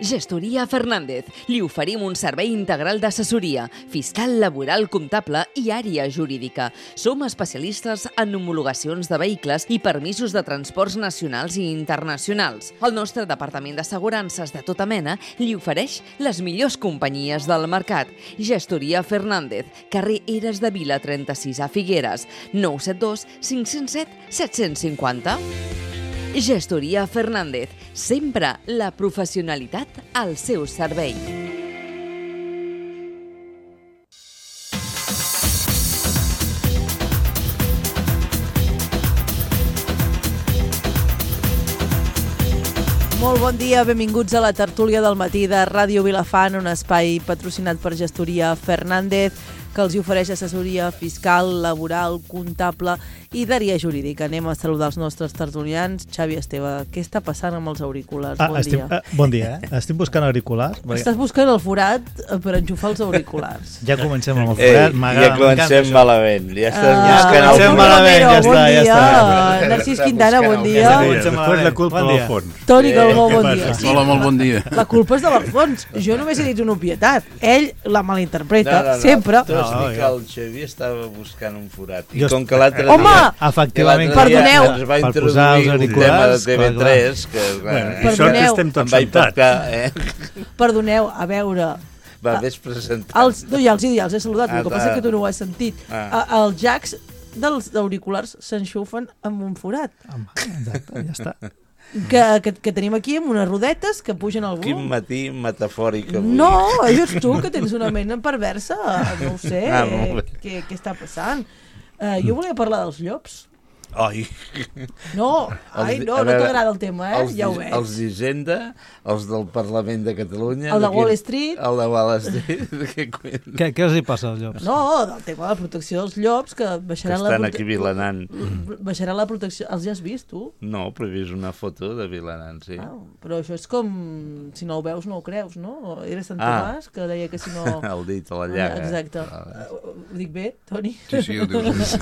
Gestoria Fernández. Li oferim un servei integral d'assessoria, fiscal, laboral, comptable i àrea jurídica. Som especialistes en homologacions de vehicles i permisos de transports nacionals i internacionals. El nostre departament d'assegurances de tota mena li ofereix les millors companyies del mercat. Gestoria Fernández, carrer Eres de Vila 36 a Figueres, 972 507 750. Gestoria Fernández, sempre la professionalitat al seu servei. Molt bon dia, benvinguts a la tertúlia del matí de Ràdio Vilafant, un espai patrocinat per Gestoria Fernández, que els ofereix assessoria fiscal, laboral, comptable i d'àrea jurídica. Anem a saludar els nostres tertulians. Xavi Esteve, què està passant amb els auriculars? Bon dia. Estic buscant auriculars. Estàs buscant el forat per enxufar els auriculars. Ja comencem amb el forat. Ja comencem malament. Ja comencem malament, ja està. Narcís Quintana, bon dia. Després la culpa de l'Alfons. Toni Calbó, bon dia. Hola, molt bon dia. La culpa és de l'Alfons. Jo només he dit una obvietat. Ell la malinterpreta, sempre. Tu has dit que el Xavi estava buscant un forat. I com que l'altre dia... Home! Efectivament, perdoneu. Ens va introduir un tema de TV3 que perdoneu. Estem em va impactar. Perdoneu, a veure... Va, ves presentant. Ja els he saludat, el que passa és que tu no ho has sentit. Els jacks dels auriculars s'enxufen amb un forat. Exacte, ja està. Que tenim aquí amb unes rodetes que pugen al volum. Quin matí metafòric avui. No, ets tu que tens una ment perversa. No ho sé, què està passant. Jo volia parlar dels llops. Ai. No t'agrada el tema, ja ho veig. Els d'Hisenda, els del Parlament de Catalunya... El de Wall Street. El de Wall Street. Què els hi passa als llops? No, del tema de la protecció dels llops, que baixaran estan aquí vilanant. Baixaran la protecció... Els ja has vist, tu? No, però he vist una foto de vilanant, sí. Però això és com... Si no ho veus, no ho creus, no? Era Sant Tomàs, que deia que si no... El dit a la llaga. Exacte. Ho dic bé, Toni? Sí, ho dius.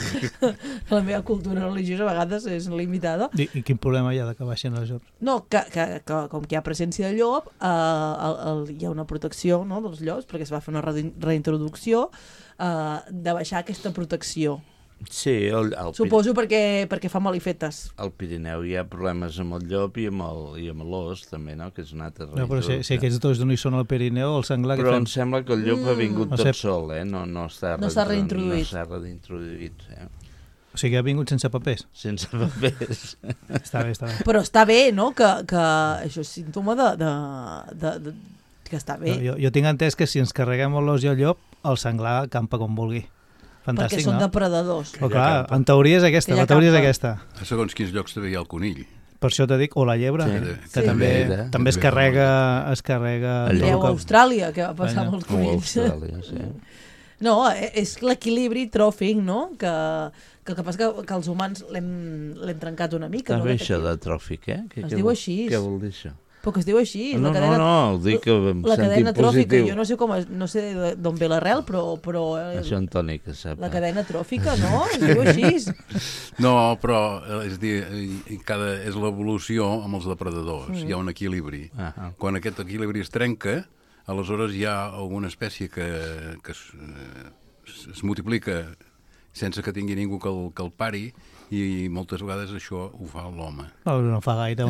La meva cultura religiosa a vegades és limitada. I quin problema hi ha que baixin els llops? No, que com que hi ha presència de llop, hi ha una protecció, no, dels llops, perquè es va fer una reintroducció de baixar aquesta protecció. Sí, suposo perquè fa malifetes. Al Pirineu hi ha problemes amb el llop i amb l'os també, no? Que és una altra no, però si aquests dos no hi són al Pirineu, el senglar... Però em sembla que el llop ha vingut tot sol, no s'ha reintroduït. No s'ha reintroduït, O sigui, ha vingut sense papers? Sense papers. Està bé. Però està bé, no?, que això és símptoma que està bé. No, jo tinc entès que si ens carreguem l'os i el llop, el senglar campa com vulgui. Fantàstic, perquè són depredadors. Però clar, en teoria és aquesta, la teoria és aquesta. A segons quins llocs també hi ha el conill. Per això t'he dit, o la llebre, que també es carrega... Alleu a Austràlia, que va passar amb els conills. No, és l'equilibri tròfic, no?, que el que passa que els humans l'hem trencat una mica. També això de tròfic, Es diu així. Què vol dir això? Però que es diu així. No, ho dic en la cadena sentit tròfica, positiu. jo no sé d'on ve l'arrel, però això Antoni que sap. La cadena tròfica, no? Es diu així. No, però és dir, és l'evolució amb els depredadors. Hi ha un equilibri. Quan aquest equilibri es trenca, aleshores hi ha alguna espècie que es multiplica sense que tingui ningú que el pari, i moltes vegades això ho fa l'home. No fa gaire.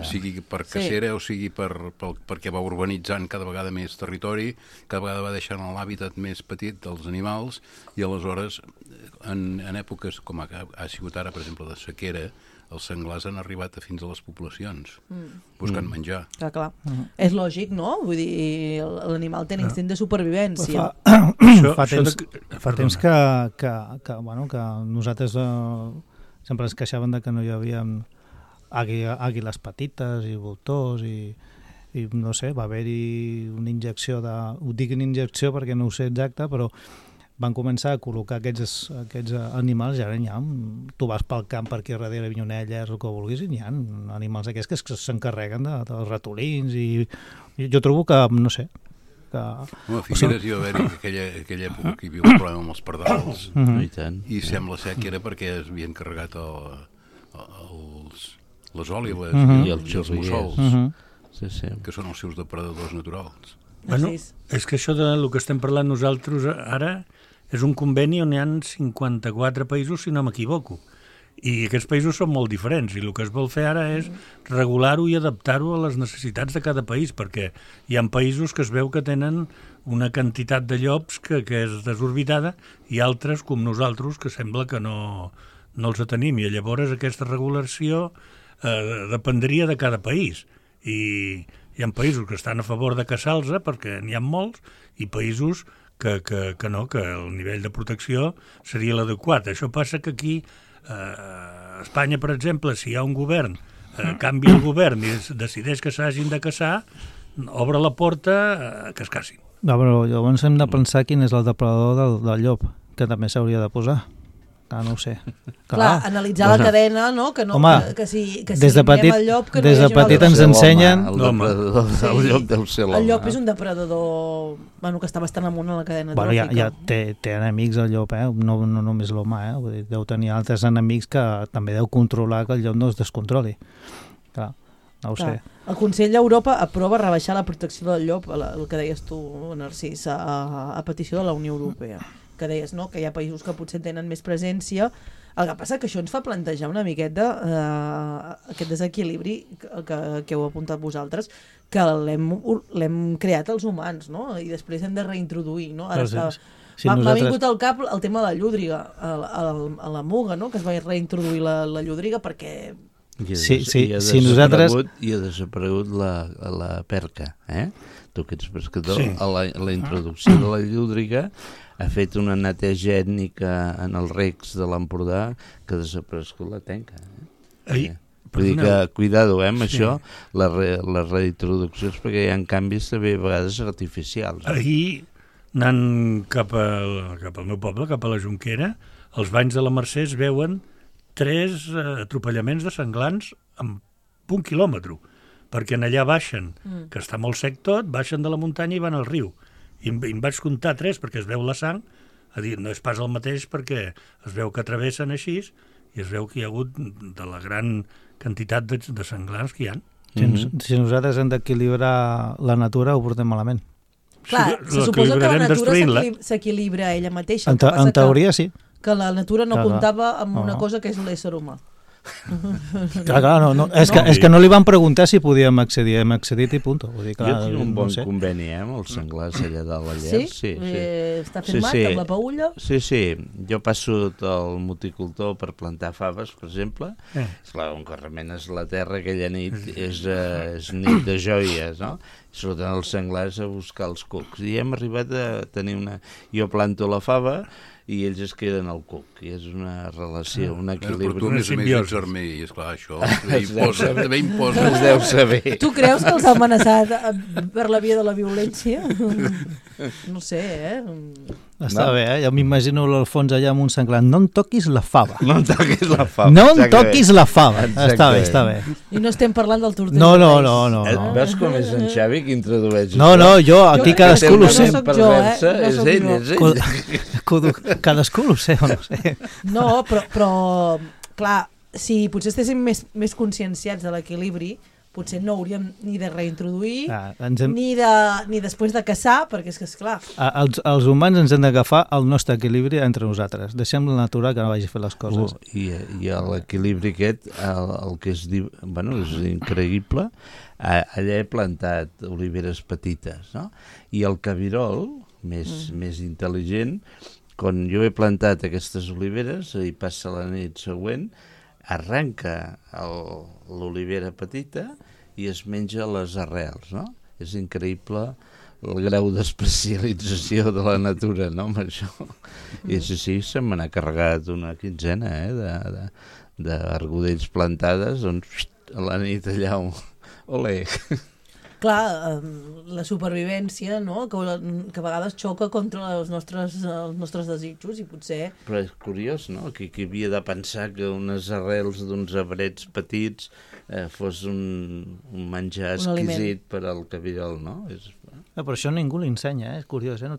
Sigui per cacera o sigui perquè va urbanitzant cada vegada més territori, cada vegada va deixant l'hàbitat més petit dels animals, i aleshores en èpoques com ha sigut ara, per exemple, de sequera, els senglars han arribat fins a les poblacions buscant menjar. Clar. És lògic, no? Vull dir, l'animal té l'instint de supervivència. Fa temps que nosaltres sempre ens queixaven de que no hi havia àguiles petites i voltors i no sé, va haver-hi una injecció ho dic una injecció perquè no ho sé exacte, però van començar a col·locar aquests animals, i ara n'hi ha, tu vas pel camp per aquí darrere Vinyonelles o que vulguis, i n'hi ha animals aquests que s'encarreguen dels ratolins, i jo trobo que, no sé, A Figueres hi va haver aquella època que hi havia un problema amb els pardals, i sembla ser que era perquè es havien carregat les òlives i els mussols. que són els seus depredadors naturals. Bueno, és que això del que estem parlant nosaltres ara és un conveni on hi ha 54 països, si no m'equivoco. I aquests països són molt diferents i el que es vol fer ara és regular-ho i adaptar-ho a les necessitats de cada país, perquè hi ha països que es veu que tenen una quantitat de llops que és desorbitada i altres, com nosaltres, que sembla que no els tenim. I llavors aquesta regulació dependria de cada país. I hi ha països que estan a favor de caçar-los perquè n'hi ha molts i països que no, que el nivell de protecció seria l'adequat. Això passa que aquí a Espanya, per exemple, si hi ha un govern, canvia el govern i decideix que s'hagin de caçar, obre la porta que es cacin. No, però llavors hem de pensar quin és el depredador del llop, que també s'hauria de posar. No ho sé. Clar, analitzar la cadena, no? Que no, home, que si des de petit, el llop, que no des de petit ens ensenyen... El depredador del llop deu ser l'home. El llop és un depredador que està bastant amunt a la cadena tròfica. Ja té enemics el llop, no només l'home, vull dir, deu tenir altres enemics que també deu controlar que el llop no es descontroli. Clar, no ho sé. El Consell d'Europa aprova rebaixar la protecció del llop, el que deies tu, Narcís, a petició de la Unió Europea. Que deies, no?, que hi ha països que potser tenen més presència. El que passa que això ens fa plantejar una miqueta aquest desequilibri que heu apuntat vosaltres, que l'hem creat els humans, no?, i després hem de reintroduir, no? Ara m'ha vingut al cap el tema de la llúdriga, a la muga, no?, que es va reintroduir la llúdriga perquè... I ha desaparegut la perca, tu que ets pescador, la introducció de la llúdriga ha fet una neteja ètnica en els recs de l'Empordà que ha desaparegut la tenca. Vull dir que, cuidado, amb això, les reintroduccions, perquè hi ha canvis també a vegades artificials. Ahir, anant cap al meu poble, cap a la Jonquera, als banys de la Mercè es veuen 3 atropellaments de senglars en 1 quilòmetre, perquè en allà baixen, que està molt sec tot, baixen de la muntanya i van al riu. I em vaig comptar 3 perquè es veu la sang, a dir, no és pas el mateix perquè es veu que travessen així i es veu que hi ha hagut de la gran quantitat de senglars que hi ha. Si nosaltres hem d'equilibrar la natura ho portem malament. Clar, se suposa que la natura s'equilibra ella mateixa. En teoria sí. Que la natura no comptava amb una cosa que és l'ésser humà. Clar, no. És que no li van preguntar si podíem accedir, hem accedit i punt. Jo tinc un bon conveni amb els senglars allà dalt a Llers. Sí? Està firmat amb la paulla? Sí, jo passo el multicultor per plantar faves, per exemple. Esclar, on que remenes la terra aquella nit és nit de joies, no? Surten els senglars a buscar els cucs. I hem arribat a tenir Jo planto la fava i ells es queden al cuc, i és una relació, un equilibri. Però tu, a més ets armei, i esclar, això també imposa. Es deu saber. Tu creus que els ha amenaçat per la via de la violència? No sé, Està bé, jo m'imagino l'Alfons allà amb un senglar. No em toquis la fava. No em toquis la fava. No em toquis la fava. Està bé. I no estem parlant del tortell. No. Veus com és en Xavi que introdueix? No, jo aquí cadascú ho sé. No soc jo, És ell. Cadascú ho sé o no sé. No, però clar, si potser estéssim més conscienciats de l'equilibri, potser no hauríem ni de reintroduir, ni després de caçar, perquè és que, esclar... Els humans ens hem d'agafar el nostre equilibri entre nosaltres. Deixem la natura que no vagi a fer les coses. I l'equilibri aquest, el que es diu... Bueno, és increïble. Allà he plantat oliveres petites, no? I el cabirol, més intel·ligent, quan jo he plantat aquestes oliveres i passa la nit següent, arranca l'olivera petita i es menja les arrels, no? És increïble el grau d'especialització de la natura, no?, amb això. I sí, se me n'ha carregat una quinzena, d'argodells plantades, doncs a la nit allà, olé. Clar, la supervivència, no?, que a vegades xoca contra els nostres desitjos i potser... Però és curiós, no?, que havia de pensar que unes arrels d'uns arbrets petits fos un menjar exquisit per al cabirol, no? Però això ningú l'ensenya, és curiós, no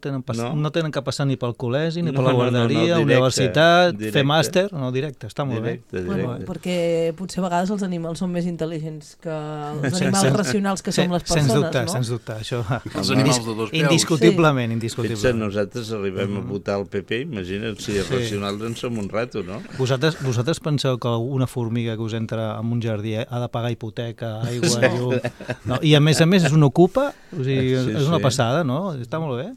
tenen que passar ni pel col·legi, ni per la No, guarderia, directe, universitat, directe. fer màster, no, directe, està molt bé. Bueno, perquè potser a vegades els animals són més intel·ligents que els animals racionals que som les persones, no? Sens dubte, això... Els animals de dos peus. Indiscutiblement, Fixa't, indiscutiblement. nosaltres arribem a votar el PP, imagina't si els racionals en som un rato, no? Vosaltres penseu que una formiga que us entra en un jardí ha de pagar hipoteca, aigua, llum... No, i a més és una ocupa, o sigui, és una passada, no? Està molt bé.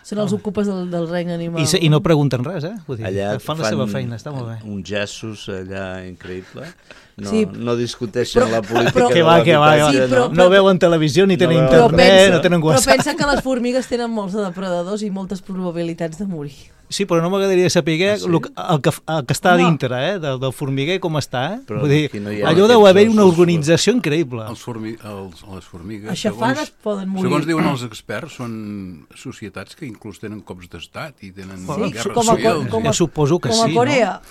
Són els ocupes del regne animal. I no pregunten res, Vull dir, Allà fan la seva feina, està molt bé. uns llaços allà increïble. No discuteixen la política però, de l'habitatge. No veuen televisió, ni tenen Però internet, no tenen Però WhatsApp. pensa que les formigues tenen molts depredadors i moltes probabilitats de morir. Sí, però no m'agradaria saber el que està a dintre, del formiguer, com està, Però Vull dir, aquí no hi ha allò deu aquests haver una ossos. organització increïble. Les formigues, Aixafades poden morir. segons diuen els experts, són societats que inclús tenen cops d'estat i tenen guerres com a civils. com Jo suposo que com a sí, Corea.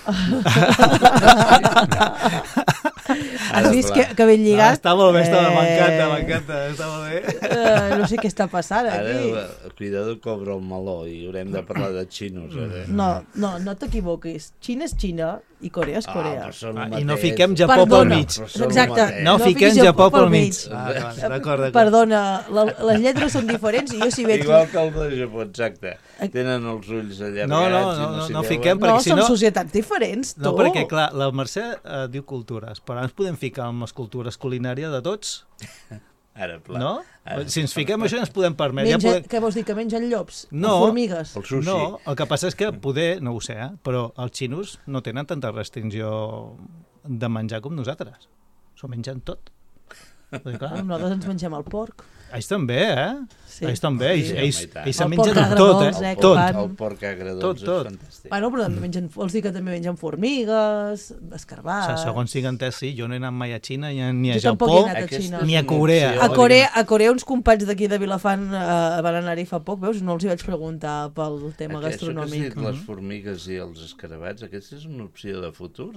Has vist que ben lligat? Està molt bé, m'encanta, està molt bé. No sé què està passant Ara, aquí. cuidado, cobra el meló i haurem de parlar de xinos. No t'equivoquis. Xina és Xina i Corea és Corea. I no fiquem Japó pel mig. Exacte. No fiquem fiquis Japó pel mig. mig. D'acord. Perdona, les lletres són diferents i jo si veig... Igual que el de Japó, exacte. Tenen els ulls allargats. No fiquem, perquè si són no... societats diferents, tu. No, perquè, clar, la Mercè diu cultures, però ens podem ficar amb les cultures culinàries de tots, Ara, pla. no? Si ens fiquem això ens podem permetre. Què vols dir, que mengen llops? No. O formigues? El sushi. No, el que passa és que poder, no ho sé, però els xinos no tenen tanta restricció de menjar com nosaltres. S'ho mengen tot. Nosaltres ens mengem el porc. Ells també, Sí. Ells també, ells se El mengen porc tot, agredolç, tot. El porc agredolç Tot. és fantàstic. Bueno, però també vols dir que també mengen formigues, escarbats... Segons tinc entès, sí, jo no he anat mai a Xina, ni a Jo tampoc Japó, he anat a Xina. ni a Corea. A Corea uns companys d'aquí de Vilafant van anar-hi fa poc, veus? No els hi vaig preguntar pel tema gastronòmic. Això que has dit, les formigues i els escarabats, aquesta és una opció de futur,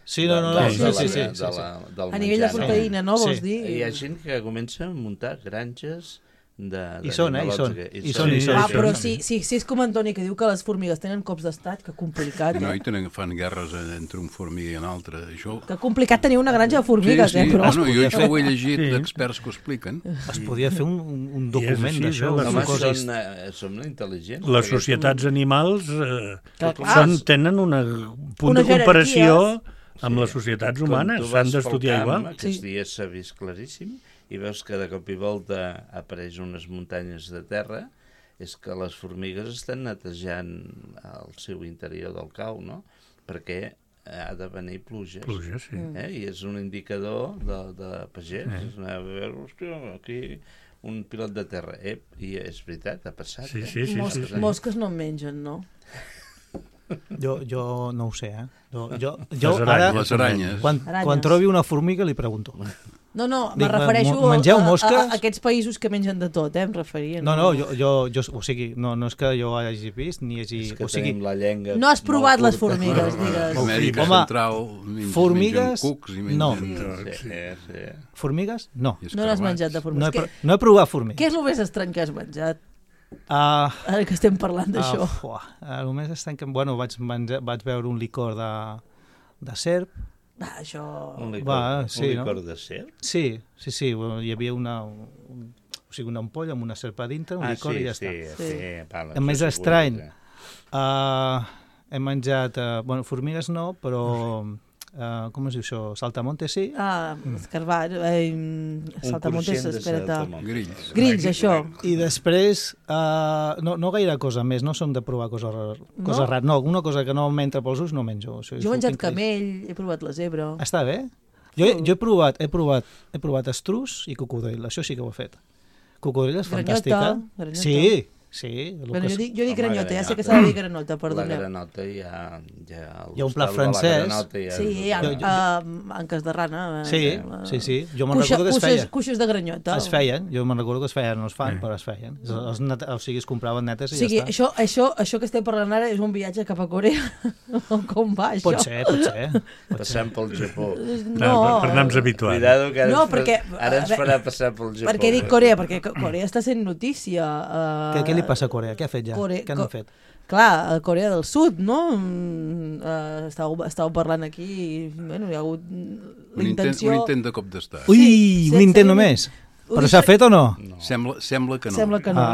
Sí. A nivell de proteïna, no, vols dir? Hi ha gent que comença a muntar granges I són. Però si és com Antoni, que diu que les formigues tenen cops d'estat, que complicat. No, i fan guerres entre un formiguer i un altre. Que complicat tenir una granja de formigues, però... Jo això ho he llegit d'experts que ho expliquen. Es podia fer un document d'això. Som intel·ligents. Les societats animals tenen un punt de comparació amb les societats humanes, s'han d'estudiar igual. Aquests dies s'ha vist claríssim i veus que de cop i volta apareix unes muntanyes de terra, és que les formigues estan netejant el seu interior del cau, no? Perquè ha de venir pluges. Pluges, sí. I és un indicador de pagès. És anar a veure, hòstia, aquí un pilot de terra. I és veritat, ha passat. Sí. Mosques no en mengen, no? Jo no ho sé, Les aranyes. Quan trobi una formiga li pregunto. No, me refereixo a aquests països que mengen de tot, em referia. No, o sigui, no és que jo hagi vist, ni hagi... És que tenim la llengua... No has provat les formigues, digues. Amèrica Central formigues, mengen cucs i no. Formigues, no. No n'has menjat de formigues. No he provat formigues. Què és el més estrany que has menjat? Ara que estem parlant d'això. El més estrany que... Bueno, vaig veure un licor de serp. Això... Un licor de serp? Sí. Hi havia una ampolla amb una serp a dintre, un licor i ja està. El més estrany, he menjat... formigues no, però... com es diu això? Saltamontes, sí? Escarbat, saltamontes, espera't. Grills, això. I després, no gaire cosa més, no som de provar coses rares. No, una cosa que no m'entra pels ulls no menjo. Jo he menjat camell, he provat la zebra. Està bé? Jo he provat estruç i cocodril, això sí que ho he fet. Cocodril és fantàstica. Granyota. Sí. Bueno, jo dic granota, ja sé que s'ha de dir granota, perdoneu. La granota hi ha hi ha un plat francès. Sí, en cas de rana. Sí. Jo me'n recordo que es feia. Cuixes de granyota. Es feien, jo me'n recordo que es feien, no es fan, però es feien. O sigui, es compraven netes i ja està. Això que estem parlant ara és un viatge cap a Corea? Com va, això? Pot ser. Passant pel Japó. No. Per anar-nos habituant. Cuidado, que ara ens farà passar pel Japó. Per què dic Corea? Perquè Corea està sent notícia. Què li passa a Corea? Què ha fet ja? Què han fet? Clar, a Corea del Sud, no? Estàveu parlant aquí i bueno, hi ha hagut l'intenció... Un intent de cop d'estat. Ui, un intent només? Però s'ha fet o no? Sembla que no. Sembla que no.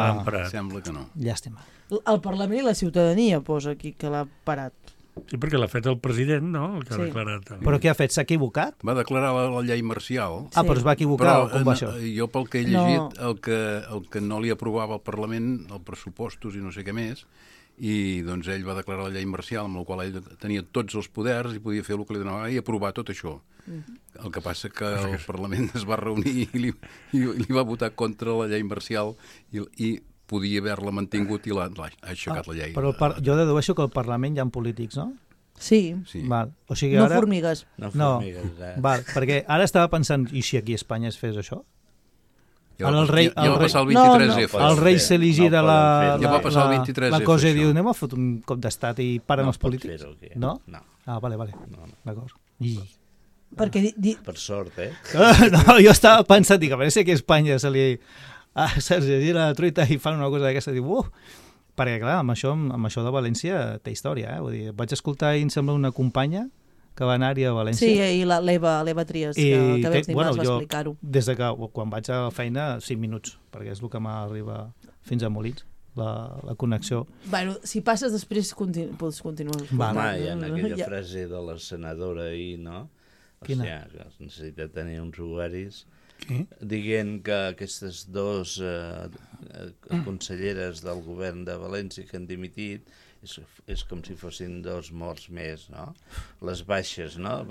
Sembla que no. Llàstima. El Parlament i la ciutadania posa aquí que l'ha parat. Sí, perquè l'ha fet el president, no? El que ha declarat. Però què ha fet? S'ha equivocat? Va declarar la llei marcial. Però es va equivocar o com va això? Jo pel que he llegit, el que no li aprovava al Parlament, els pressupostos i no sé què més, i doncs ell va declarar la llei marcial amb la qual ell tenia tots els poders i podia fer el que li donava i aprovar tot això. El que passa que el Parlament es va reunir i li va votar contra la llei marcial i podia haver-la mantingut i l'ha aixecat la llei. Però jo dedueixo que al Parlament hi ha polítics, no? Sí. Val. O sigui, no ara... formigues. No, val, perquè ara estava pensant, i si aquí a Espanya es fes això? Ja va passar el 23F. El rei s'eligirà la cosa i diu, anem a fotre un cop d'estat i paren els polítics? No? Ah, vale. D'acord. Per sort, No, jo estava pensant, dic, a veure si aquí a Espanya se li llegir la truita i fan una cosa d'aquesta, diu, perquè clar, amb això de València té història, vull dir, vaig escoltar i em sembla una companya que va anar-hi a València. Sí, i l'Eva Trias, que vaig dir, va explicar-ho. Des de que quan vaig a la feina, 5 minuts, perquè és el que m'arriba fins a Molins, la connexió. Bueno, si passes després pots continuar. Home, hi ha aquella frase de la senadora ahir, no? Quina? O sigui, que es necessita tenir uns ovaris dient que aquestes dues conselleres del govern de València que han dimitit és com si fossin 2 morts més, no? Les baixes, no?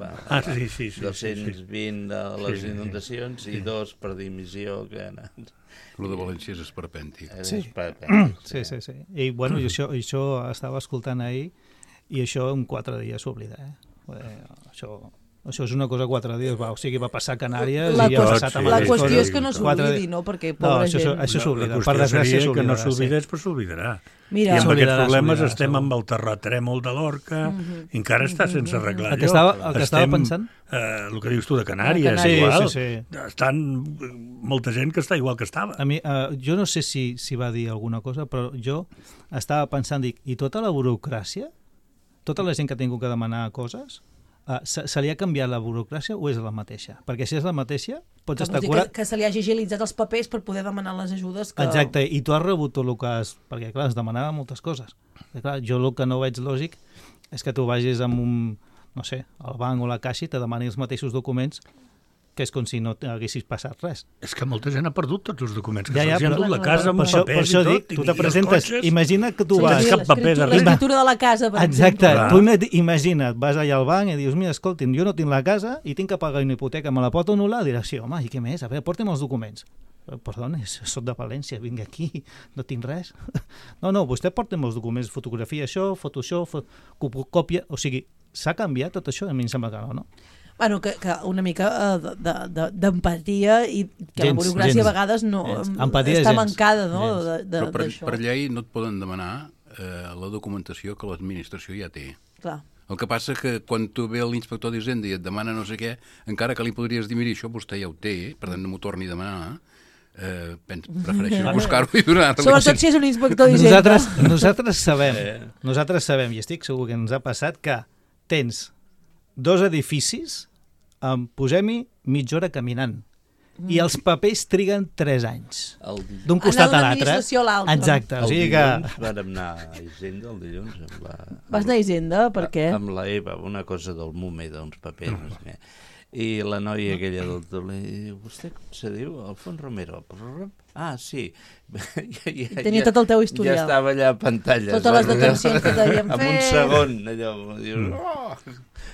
Sí. 220 de les inundacions i 2 per dimissió que han anat. El de València és esperpèntic. Sí. I bueno, això estava escoltant ahir i això en 4 dies s'oblida, Això és una cosa 4 dies, o sigui, va passar a Canàries i ha passat a la qüestió és que no s'oblidi, no? Perquè pobra gent... Això s'oblida, per desgràcia s'oblidarà. Que no s'oblidés, però s'oblidarà. I amb aquests problemes estem amb el terratrèmol de l'Orca, encara està sense arreglar allò. El que estava pensant? El que dius tu de Canàries, igual. Estan molta gent que està igual que estava. A mi, jo no sé si va dir alguna cosa, però jo estava pensant, dic, i tota la burocràcia? Tota la gent que ha tingut que demanar coses? Se li ha canviat la burocràcia o és la mateixa? Perquè si és la mateixa, pots estar curat... Que se li hagi agilitzat els papers per poder demanar les ajudes que... Exacte, i tu has rebut tot el que has... Perquè, clar, es demanava moltes coses. Clar, jo el que no veig lògic és que tu vagis amb un, no sé, al banc o la caixa i te demani els mateixos documents que és com si no haguessis passat res. És que molta gent ha perdut tots els documents, que se'ls han dut la casa amb papers i tot. Per això dic, tu te presentes, imagina que tu vas... L'escriptura de la casa, per exemple. Exacte, tu imagina't, vas allà al banc i dius, mira, escolti'm, jo no tinc la casa i tinc que pagar una hipoteca, me la pot anul·lar? Diràs, sí, home, i què més? A veure, porta'm els documents. Perdona, soc de València, vinc aquí, no tinc res. No, vostè porta'm els documents, fotografia això, foto això, còpia, o sigui, s'ha canviat tot això? A mi em sembla que no? Bueno, que una mica d'empatia i que la burocràcia a vegades no està mancada, no? Però per llei no et poden demanar la documentació que l'administració ja té. Clar. El que passa que quan tu ve l'inspector d'Hisenda i et demana no sé què, encara que li podries dir, mira, això vostè ja ho té, per tant no m'ho torni a demanar, prefereixo buscar-ho i donar-li. Sobretot si és un inspector d'Hisenda. Nosaltres sabem, i estic segur que ens ha passat, que tens 2 edificis, posem-hi mitja hora caminant. I els papers triguen 3 anys. D'un costat a l'altre. Exacte. El dilluns vam anar a Hisenda, el dilluns. Vas anar a Hisenda? Per què? Amb la Eva, una cosa del MUME, d'uns papers, no sé què. I la noia aquella del taulell diu, vostè com se diu? Alfons Romero. Ah, sí. Tenia tot el teu historial. Ja estava allà a pantalles. Totes les detencions que t'havien fet. En un segon, allò. Dius,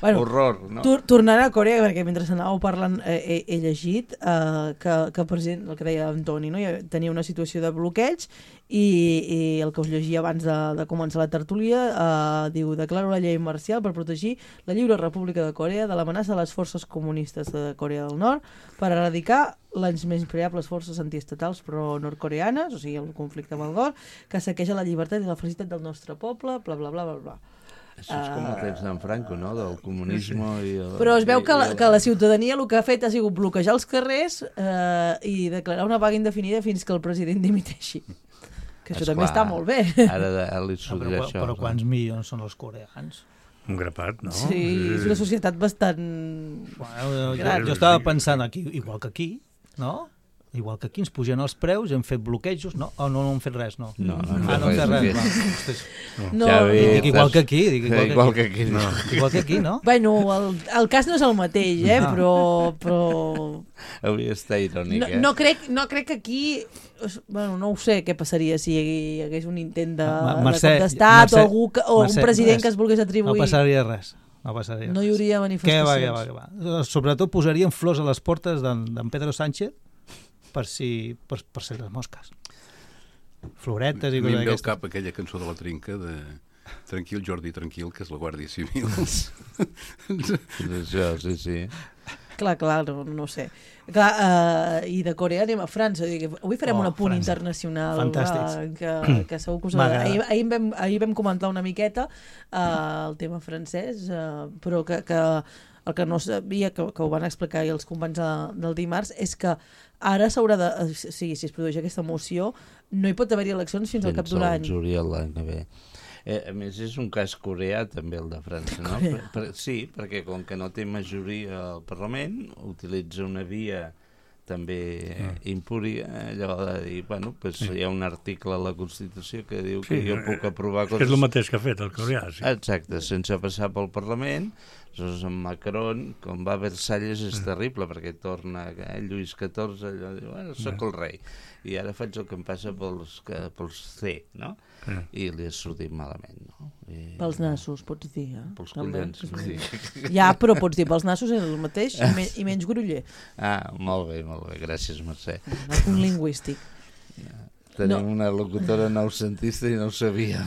horror, no? Tornant a Corea, perquè mentre anàveu parlant he llegit que el president, el que deia Antoni, no? Tenia una situació de bloqueig i el que us llegia abans de començar la tertúlia diu: declaro la llei marcial per protegir la lliure república de Corea de l'amenaça de les forces comunistes de Corea del Nord per erradicar les menyspreables forces antiestatals pro-nord-coreanes, o sigui, el conflicte amb el Nord, que saqueja la llibertat i la felicitat del nostre poble, bla, bla, bla, bla, bla. Això és com el temps d'en Franco, no?, del comunisme. Però es veu que la ciutadania el que ha fet ha sigut bloquejar els carrers i declarar una vaga indefinida fins que el president dimiteixi. Que això també està molt bé. Ara li sortirà això. Però quants milions són els coreans? Un grapat, no? Sí, és una societat bastant... Jo estava pensant aquí, igual que aquí, no? Igual que aquí ens pugen els preus, hem fet bloquejos, no? O no hem fet res, no? No hem fet res. No, dic igual que aquí. Igual que aquí, no. Igual que aquí, no? Bueno, el cas no és el mateix, però... Avui està irònic, no crec que aquí... Bueno, no ho sé què passaria si hi hagués un intent de cop d'estat o un president que es volgués atribuir. No passaria res. No hi hauria manifestacions. Què va. Sobretot posarien flors a les portes d'en Pedro Sánchez per ser les mosques. Floretes i coses d'aquestes. A mi em ve al cap aquella cançó de la Trinca de Tranquil, Jordi, tranquil, que és la Guàrdia Civil. Això, sí. Clar, no sé. Clar, i de Corea anem a França. Avui farem un apunt internacional. Fantàstic. Que segur que us agrada. Ahir vam comentar una miqueta el tema francès, però que el que no sabia, que ho van explicar els companys del dimarts, és que ara s'haurà de... si es produeix aquesta moció, no hi pot haver-hi eleccions fins al cap d'un any. Fins al juliol l'any que ve. A més, és un cas coreà, també, el de França, no? Sí, perquè com que no té majoria al Parlament, utilitza una via també impúria, allò de dir, bueno, pues hi ha un article a la Constitució que diu que jo puc aprovar coses... És el mateix que ha fet el coreà, sí. Exacte, sense passar pel Parlament. Aleshores, en Macron, com va a Versalles, és terrible, perquè torna Lluís XIV, allò diu, bueno, soc el rei, i ara faig el que em passa pels C, no? I li ha sortit malament, no? Pels nassos, pots dir, Pels collons, sí. Ja, però pots dir, pels nassos és el mateix i menys groller. Ah, molt bé, gràcies, Mercè. El punt lingüístic. Tenim una locutora noucentista i no ho sabia.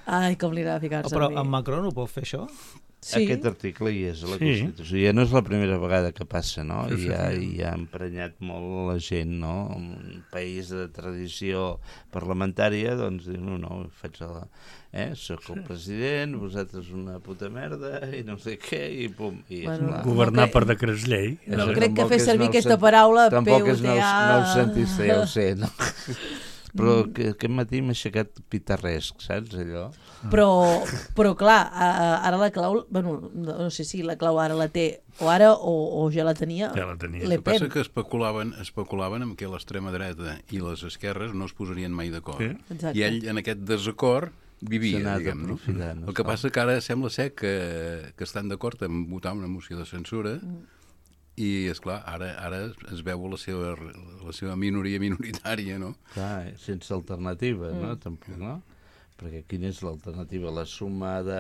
Ai, com li agrada ficar-se. Però en Macron ho pot fer, això? Sí. Aquest article hi és a la Constitució. Ja no és la primera vegada que passa, no? I ha emprenyat molt la gent, no? Un país de tradició parlamentària, doncs diu, no, faig soc el president, vosaltres una puta merda, i no sé què, i pum. I governar per decrets llei. No crec que fer servir aquesta paraula PUTA... Tampoc és noucentista, ja ho sé, no? Però aquest matí m'ha aixecat pitarresc, saps, allò? Però clar, ara la clau, bueno, no sé si la clau ara la té o ja la tenia. Ja la tenia. El que passa que especulaven amb que l'extrema dreta i les esquerres no es posarien mai d'acord. I ell, en aquest desacord, vivia, diguem, no? El que passa que ara sembla ser que estan d'acord en votar una moció de censura i, esclar, ara es veu la seva minoria minoritària, no? Clar, sense alternativa, no? Tampoc, no? Perquè quina és l'alternativa? La suma de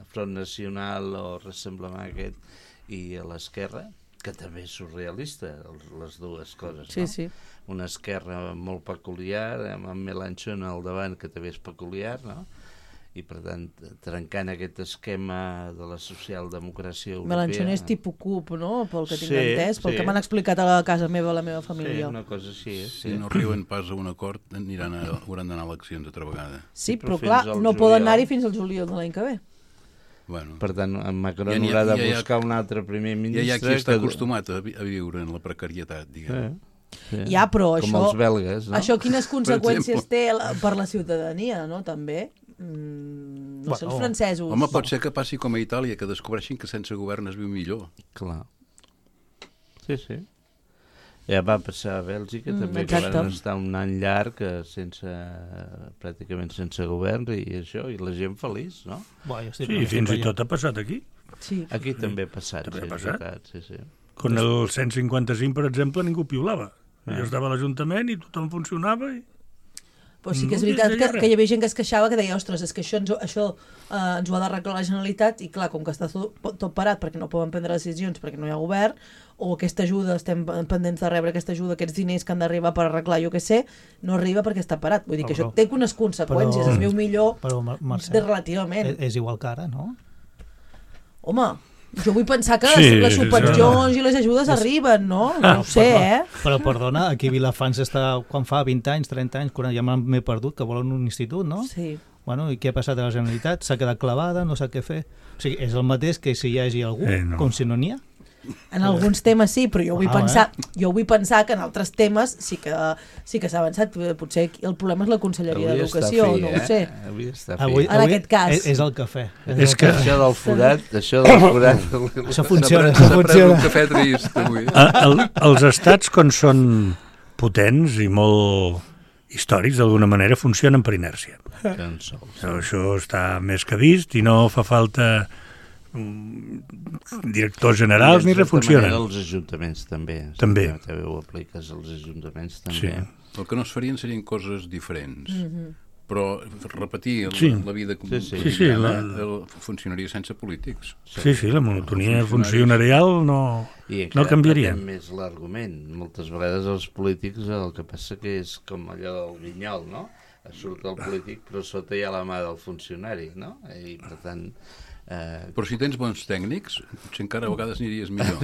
Front Nacional o Rassemblement aquest i a l'esquerra, que també és surrealista, les dues coses, no? Sí. Una esquerra molt peculiar, amb Mélenchon al davant, que també és peculiar, no? I, per tant, trencant aquest esquema de la socialdemocràcia europea... Mélenchon és tipus CUP, no?, pel que tinc entès, pel que m'han explicat a casa meva, a la meva família. Sí, una cosa així. Si no arriben pas a un acord, hauran d'anar a eleccions altra vegada. Sí, però clar, no poden anar-hi fins al juliol de l'any que ve. Bueno. Per tant, en Macron haurà de buscar un altre primer ministre... Ja hi ha qui està acostumat a viure en la precarietat, diguem. Ja, però com els belgues, no? Això quines conseqüències té per la ciutadania, no?, també? No sé, els francesos... Home, pot ser que passi com a Itàlia, que descobreixin que sense govern es viu millor. Clar. Sí. Ja va passar a Bèlgica, també, que van estar un any llarg pràcticament sense govern i això, i la gent feliç, no? Sí, fins i tot ha passat aquí. Sí. Aquí també ha passat. També ha passat? Sí. Quan el 155, per exemple, ningú piulava. Jo estava a l'Ajuntament i tothom funcionava i... Però sí que és veritat que hi havia gent que es queixava, que deia, ostres, és que això ens ho ha d'arreglar la Generalitat, i clar, com que està tot parat perquè no poden prendre decisions, perquè no hi ha govern, o aquesta ajuda, estem pendents de rebre aquesta ajuda, aquests diners que han d'arribar per arreglar, jo què sé, no arriba perquè està parat. Vull dir que això té unes conseqüències, es veu millor relativament. És igual que ara, no? Home, jo vull pensar que les subvencions i les ajudes arriben, no? No ho sé, Però perdona, aquí a Vilafant està, quan fa 20 anys, 30 anys, quan ja m'he perdut, que volen un institut, no? Sí. Bueno, i què ha passat a la Generalitat? S'ha quedat clavada, no sap què fer. O sigui, és el mateix que si hi hagi algú, com si no n'hi ha. En alguns temes sí, però jo vull pensar que en altres temes sí que s'ha avançat. Potser el problema és la Conselleria d'Educació, no ho sé. Avui, en aquest cas. És el cafè. És que això del forat... Això funciona. Un cafè trist, avui. Els estats, quan són potents i molt històrics, d'alguna manera, funcionen per inèrcia. Això està més que vist i no fa falta directors generals ni refuncionen. Els ajuntaments també. També ho apliques als ajuntaments també. Sí. El que no es farien serien coses diferents. Però repetir la vida funcionaria sense polítics. Sí, la monotonia funcionarial no canviaria. I encara més l'argument. Moltes vegades els polítics el que passa que és com allò del Vinyol, no? Surt el polític però sota hi ha la mà del funcionari, no? I per tant... Però si tens bons tècnics, potser encara a vegades aniries millor.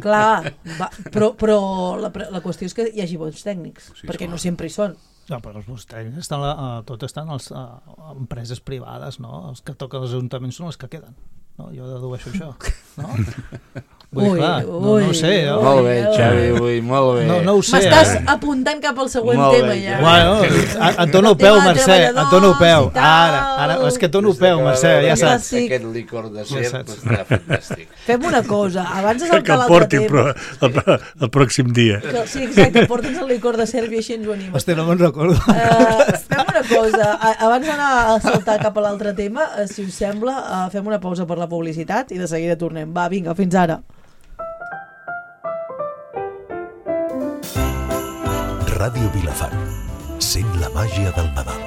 Clar, però la qüestió és que hi hagi bons tècnics, perquè no sempre hi són. No, però els bons tècnics tot estan a les empreses privades, no? Els que toquen els ajuntaments són els que queden. No? Jo dedueixo això, no? No ho sé. Molt bé, Xavi, molt bé. No ho sé. M'estàs apuntant cap al següent tema, ja. Bueno, et dono peu, Mercè, et dono peu. Ara, és que et dono peu, Mercè, ja saps. Aquest licor de serp està fantàstic. Fem una cosa, abans de saltar l'altre tema... Que el porti, però el pròxim dia. Sí, exacte, porti'ns el licor de serp i així ens ho animes. Hòstia, no me'n recordo. Fem una cosa, abans d'anar a saltar cap a l'altre tema, si us sembla, fem una pausa per la publicitat i de seguida tornem. Va, vinga, fins ara. Ràdio Vilafant. Sent la màgia del Nadal.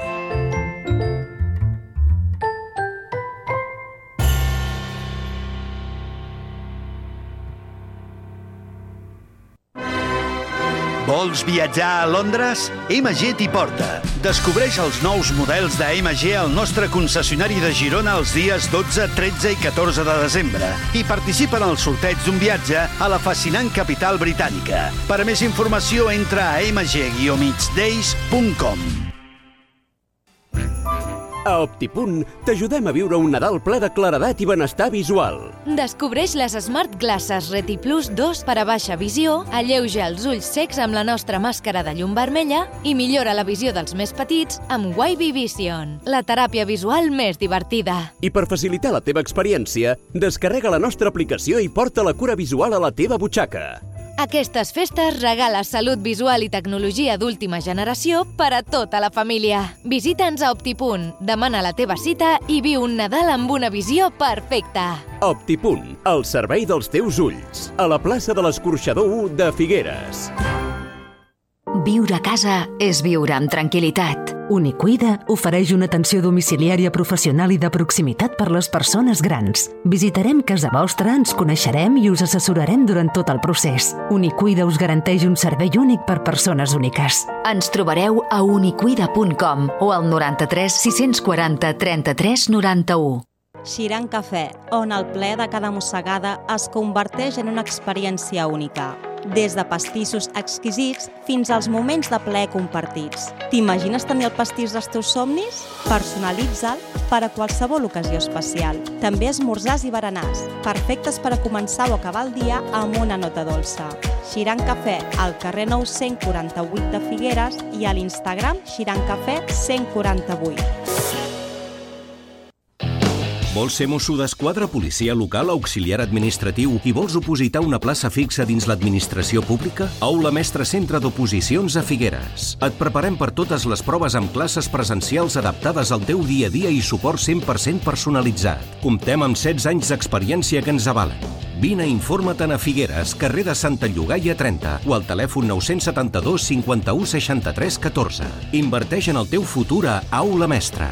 Vols viatjar a Londres? MG t'hi porta. Descobreix els nous models de MG al nostre concessionari de Girona els dies 12, 13 i 14 de desembre i participa en el sorteig d'un viatge a la fascinant capital britànica. Per a més informació entra a mg-days.com. A Optipunt t'ajudem a viure un Nadal ple de claredat i benestar visual. Descobreix les Smart Glasses Reti Plus 2 per a baixa visió, alleuja els ulls secs amb la nostra màscara de llum vermella i millora la visió dels més petits amb Wavy Vision, la teràpia visual més divertida. I per facilitar la teva experiència, descarrega la nostra aplicació i porta la cura visual a la teva butxaca. Aquestes festes regala salut visual i tecnologia d'última generació per a tota la família. Visita'ns a Optipunt, demana la teva cita i viu un Nadal amb una visió perfecta. Optipunt, el servei dels teus ulls. A la plaça de l'Escorxador 1 de Figueres. Viure a casa és viure amb tranquil·litat. Unicuida ofereix una atenció domiciliària professional i de proximitat per les persones grans. Visitarem casa vostra, ens coneixerem i us assessorarem durant tot el procés. Unicuida us garanteix un servei únic per persones úniques. Ens trobareu a unicuida.com o al 93 640 33 91. Xiran Cafè, on el ple de cada mossegada es converteix en una experiència única. Des de pastissos exquisits fins als moments de plaer compartits. T'imagines tenir el pastís dels teus somnis? Personalitza'l per a qualsevol ocasió especial. També esmorzars i berenars, perfectes per a començar o acabar el dia amb una nota dolça. Xiran Cafè, al carrer Nou 148 de Figueres i a l'Instagram xirancafè 148. Vols ser mosso d'esquadra, policia local, auxiliar administratiu i vols opositar una plaça fixa dins l'administració pública? Aula Mestre Centre d'Oposicions a Figueres. Et preparem per totes les proves amb classes presencials adaptades al teu dia a dia i suport 100% personalitzat. Comptem amb 16 anys d'experiència que ens avalen. Vine i informa-te'n a Figueres, carrer de Santa Llogaia 30 o al telèfon 972 51 63 14. Inverteix en el teu futur a Aula Mestra.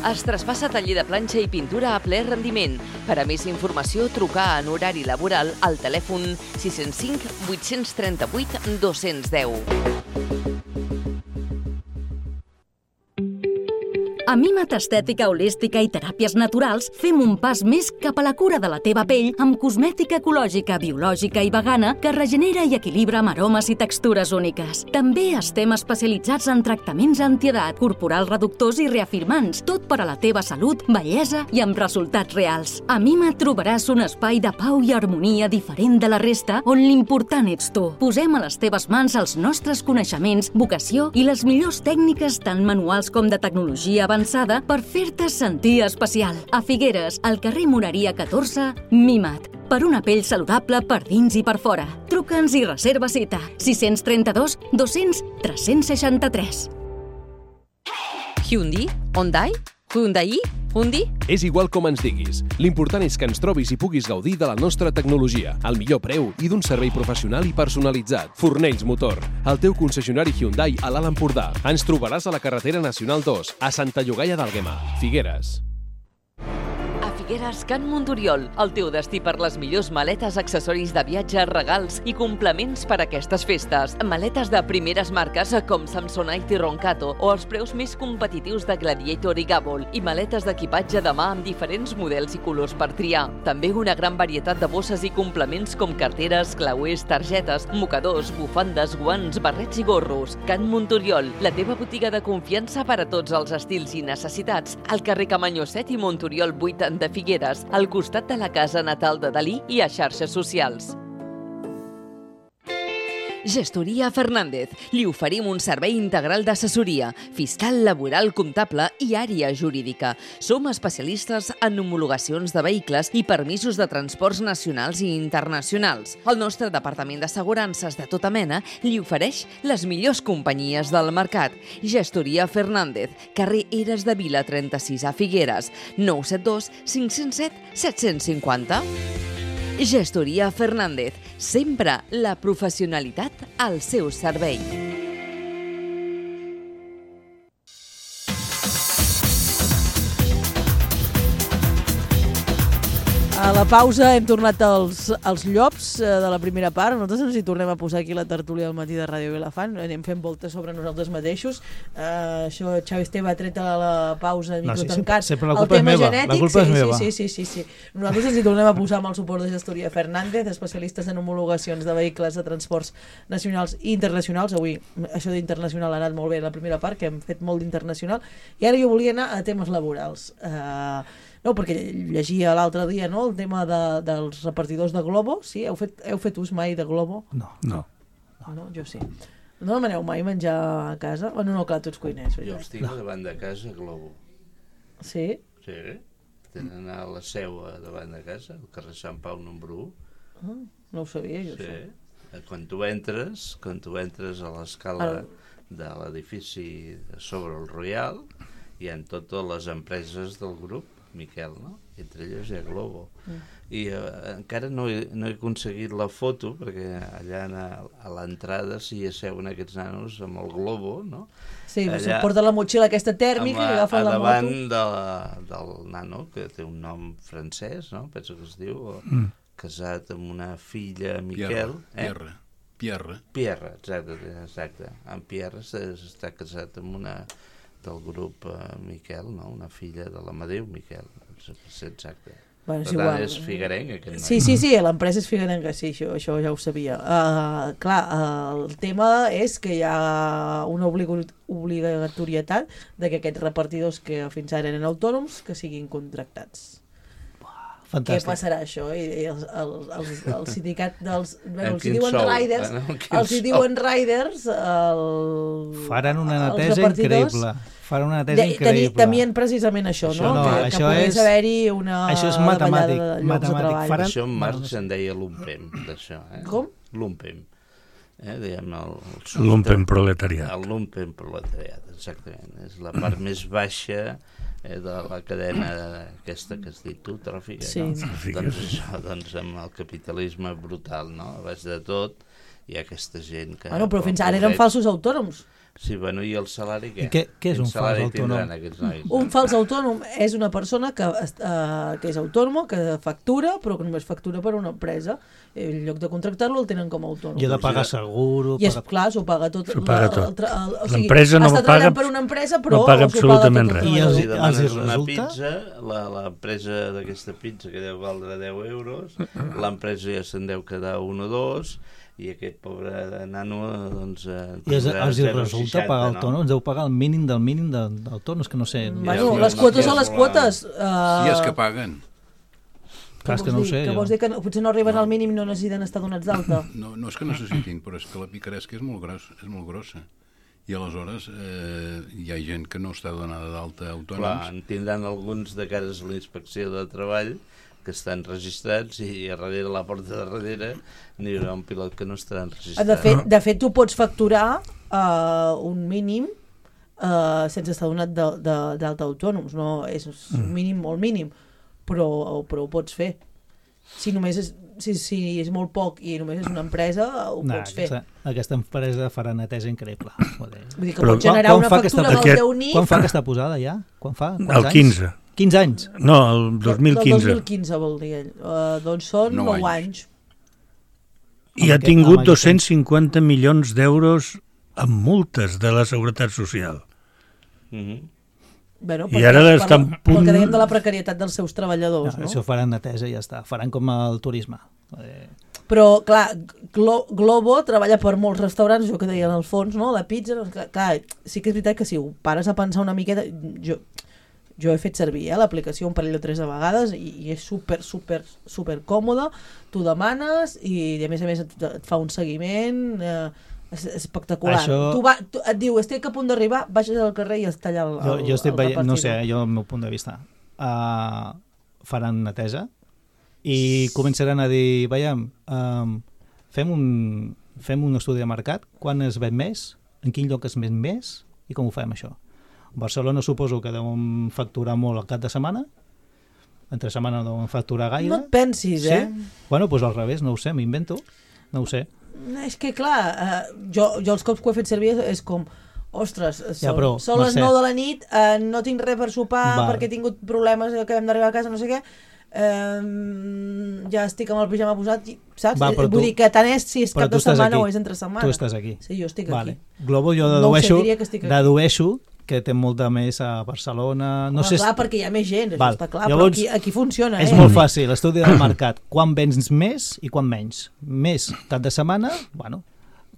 Es traspassa taller de planxa i pintura a ple rendiment. Per a més informació, trucar en horari laboral al telèfon 605 838 210. A Mimat Estètica Holística i Teràpies Naturals fem un pas més cap a la cura de la teva pell amb cosmètica ecològica, biològica i vegana que regenera i equilibra amb aromes i textures úniques. També estem especialitzats en tractaments antiedat, corporal reductors i reafirmants, tot per a la teva salut, bellesa i amb resultats reals. A Mimat trobaràs un espai de pau i harmonia diferent de la resta on l'important ets tu. Posem a les teves mans els nostres coneixements, vocació i les millors tècniques tant manuals com de tecnologia avançada per fer-te sentir especial. A Figueres, al carrer Moreria 14, Mimat. Per una pell saludable per dins i per fora. Truca'ns i reserva cita. 632 200 363. Hyundai? Hyundai? Hyundai? Hyundai? És igual com ens diguis. L'important és que ens trobis i puguis gaudir de la nostra tecnologia, al millor preu i d'un servei professional i personalitzat. Fornells Motor, el teu concessionari Hyundai a l'Alt Empordà. Ens trobaràs a la carretera Nacional 2, a Santa Llogaia d'Àlguema, Figueres. Figueres, Can Montoriol, el teu destí per les millors maletes, accessoris de viatge, regals i complements per a aquestes festes. Maletes de primeres marques com Samsonite i Roncato o els preus més competitius de Gladiator i Gabol i maletes d'equipatge de mà amb diferents models i colors per triar. També una gran varietat de bosses i complements com carteres, clauers, targetes, mocadors, bufandes, guants, barrets i gorros. Can Montoriol, la teva botiga de confiança per a tots els estils i necessitats. Al carrer Camanyó 7 i Montoriol 8 de Figueres, al costat de la casa natal de Dalí i a xarxes socials. Gestoria Fernández. Li oferim un servei integral d'assessoria, fiscal, laboral, comptable i àrea jurídica. Som especialistes en homologacions de vehicles i permisos de transports nacionals i internacionals. El nostre departament d'assegurances de tota mena li ofereix les millors companyies del mercat. Gestoria Fernández, carrer Eres de Vila 36 a Figueres, 972 507 750. Gestoria Fernández, sempre la professionalitat al seu servei. A la pausa hem tornat als llops de la primera part. Nosaltres ens hi tornem a posar aquí la tertúlia al matí de Ràdio Vilafant. Anem fent voltes sobre nosaltres mateixos. Això Xavi Esteve ha tret a la pausa de micro tancat. Sempre la culpa és meva. La culpa és meva. Sí. Nosaltres ens hi tornem a posar amb el suport de Gestoria Fernández, especialistes en homologacions de vehicles de transports nacionals i internacionals. Avui això d'internacional ha anat molt bé la primera part, que hem fet molt d'internacional. I ara jo volia anar a temes laborals. No, perquè llegia l'altre dia, no?, el tema dels repartidors de Globo. Sí? Heu fet ús mai de Globo? No. Jo sí. No demaneu mai menjar a casa? Bueno, no, clar, tu ets cuiner. Jo els tinc davant de casa, Globo. Sí? Sí. Tenen a la seu davant de casa, al carrer Sant Pau número 1. No ho sabia, jo. Sí. Quan tu entres a l'escala de l'edifici sobre el Royal, hi ha totes les empreses del grup Miquel, no? Entre elles hi ha Globo. I encara no he aconseguit la foto, perquè allà a l'entrada s'hi asseuen aquests nanos amb el Globo, no? Sí, allà, porta la motxilla aquesta tèrmica i agafen la moto. Davant del nano, que té un nom francès, no? Penso que es diu, casat amb una filla, Miquel. Pierre, exacte. En Pierre està casat amb una del grup Miquel, no? Una filla de l'Amadeu Miquel, exacte. Bueno, per tant, és figuerenc, aquest noi. Sí, l'empresa és figuerenca, sí, això ja ho sabia. Clar, el tema és que hi ha una obligatorietat de que aquests repartidors que fins ara eren autònoms que siguin contractats. Fantàstic. Què passarà això? I el sindicat dels... Bueno, els hi diuen riders, els hi diuen riders... Faran una netesa increïble. Faran una netesa increïble. Temien precisament això, no? Que pogués haver-hi una... Això és matemàtic. Això en Marx en deia l'UMPEM, d'això. Com? L'UMPEM. diguem, el lumpenproletariat. El lumpenproletariat, exactament. És la part més baixa de la cadena aquesta que has dit tu, tròfica, sí. No? Doncs això, doncs amb el capitalisme brutal, no? A baix de tot hi ha aquesta gent que... Bueno, però fins ara eren falsos autònoms. Sí, bueno, i el salari què? Què és un fals autònom? Un fals autònom és una persona que és autònoma, que factura, però que només factura per una empresa. En lloc de contractar-lo el tenen com a autònom. I ha de pagar seguro... I és clar, s'ho paga tot. S'ho paga tot. O sigui, l'empresa no paga, per una empresa, però no paga absolutament res. I els demanes una pizza, l'empresa d'aquesta pizza que deu valdre 10 euros, l'empresa ja se'n deu quedar 1 o 2, i aquest pobre nano doncs i els resulta pagar autònoms, deu pagar el mínim del mínim d'autònoms, que no sé... Bueno, les quotes són les quotes. I és que paguen. Clar, que no ho sé. Que vols dir que potser no arriben al mínim i no necessiten estar donats d'alta? No és que necessitin, però és que la picaresca és molt grossa. I aleshores hi ha gent que no està donada d'alta autònoms. Clar, en tindran alguns de cares a la inspecció de treball que estan registrats i a darrere la porta de darrere n'hi haurà un pilot que no estarà registrat. De fet, tu pots facturar un mínim sense estar donat d'alta autònoms, no? És un mínim molt mínim, però ho pots fer. Si és molt poc i només és una empresa, ho pots fer. Aquesta empresa farà neteja increïble. Vull dir que pots generar una factura amb el teu NIF... Quan fa aquesta posada ja? El 15. 15 anys? No, el 2015. El 2015 vol dir ell. Doncs són 9 anys. I ha tingut 250 milions d'euros en multes de la Seguretat Social. Bueno, i ara estan punt... Pel que dèiem de la precarietat dels seus treballadors, no? Això faran neteja i ja està. Faran com el turisme. Però, clar, Globo treballa per molts restaurants, jo que deia en el fons, no? La pizza, clar, sí que és veritat que si ho pares a pensar una miqueta... Jo he fet servir l'aplicació un parell o 3 de vegades i és super còmoda, tu demanes i a més et fa un seguiment espectacular. Tu et diu, estic a punt d'arribar, baixes al carrer i està allà jo estic veient, no sé, jo el meu punt de vista faran neteja i començaran a dir, veiem, fem un estudi de mercat, quan es ven més, en quin lloc es ven més i com ho fem això. Barcelona suposo que deuen facturar molt al cap de setmana, entre setmana no deuen facturar gaire. No et pensis, sí? Bueno, doncs al revés, no ho sé, m'invento, no ho sé. És que clar, jo els cops que ho he fet servir és com, ostres, són les 9 de la nit, no tinc res per sopar perquè he tingut problemes, acabem d'arribar a casa, no sé què, ja estic amb el pijama posat, saps? Vull dir que tant és si és cap de setmana o és entre setmana. Tu estàs aquí. Sí, jo estic aquí. Globo jo dedueixo que té molta més a Barcelona... No sé, clar, perquè hi ha més gent, això està clar, llavors, però aquí funciona. És molt fàcil, l'estudi del mercat. Quan vens més i quan menys? Més cap de setmana, bueno,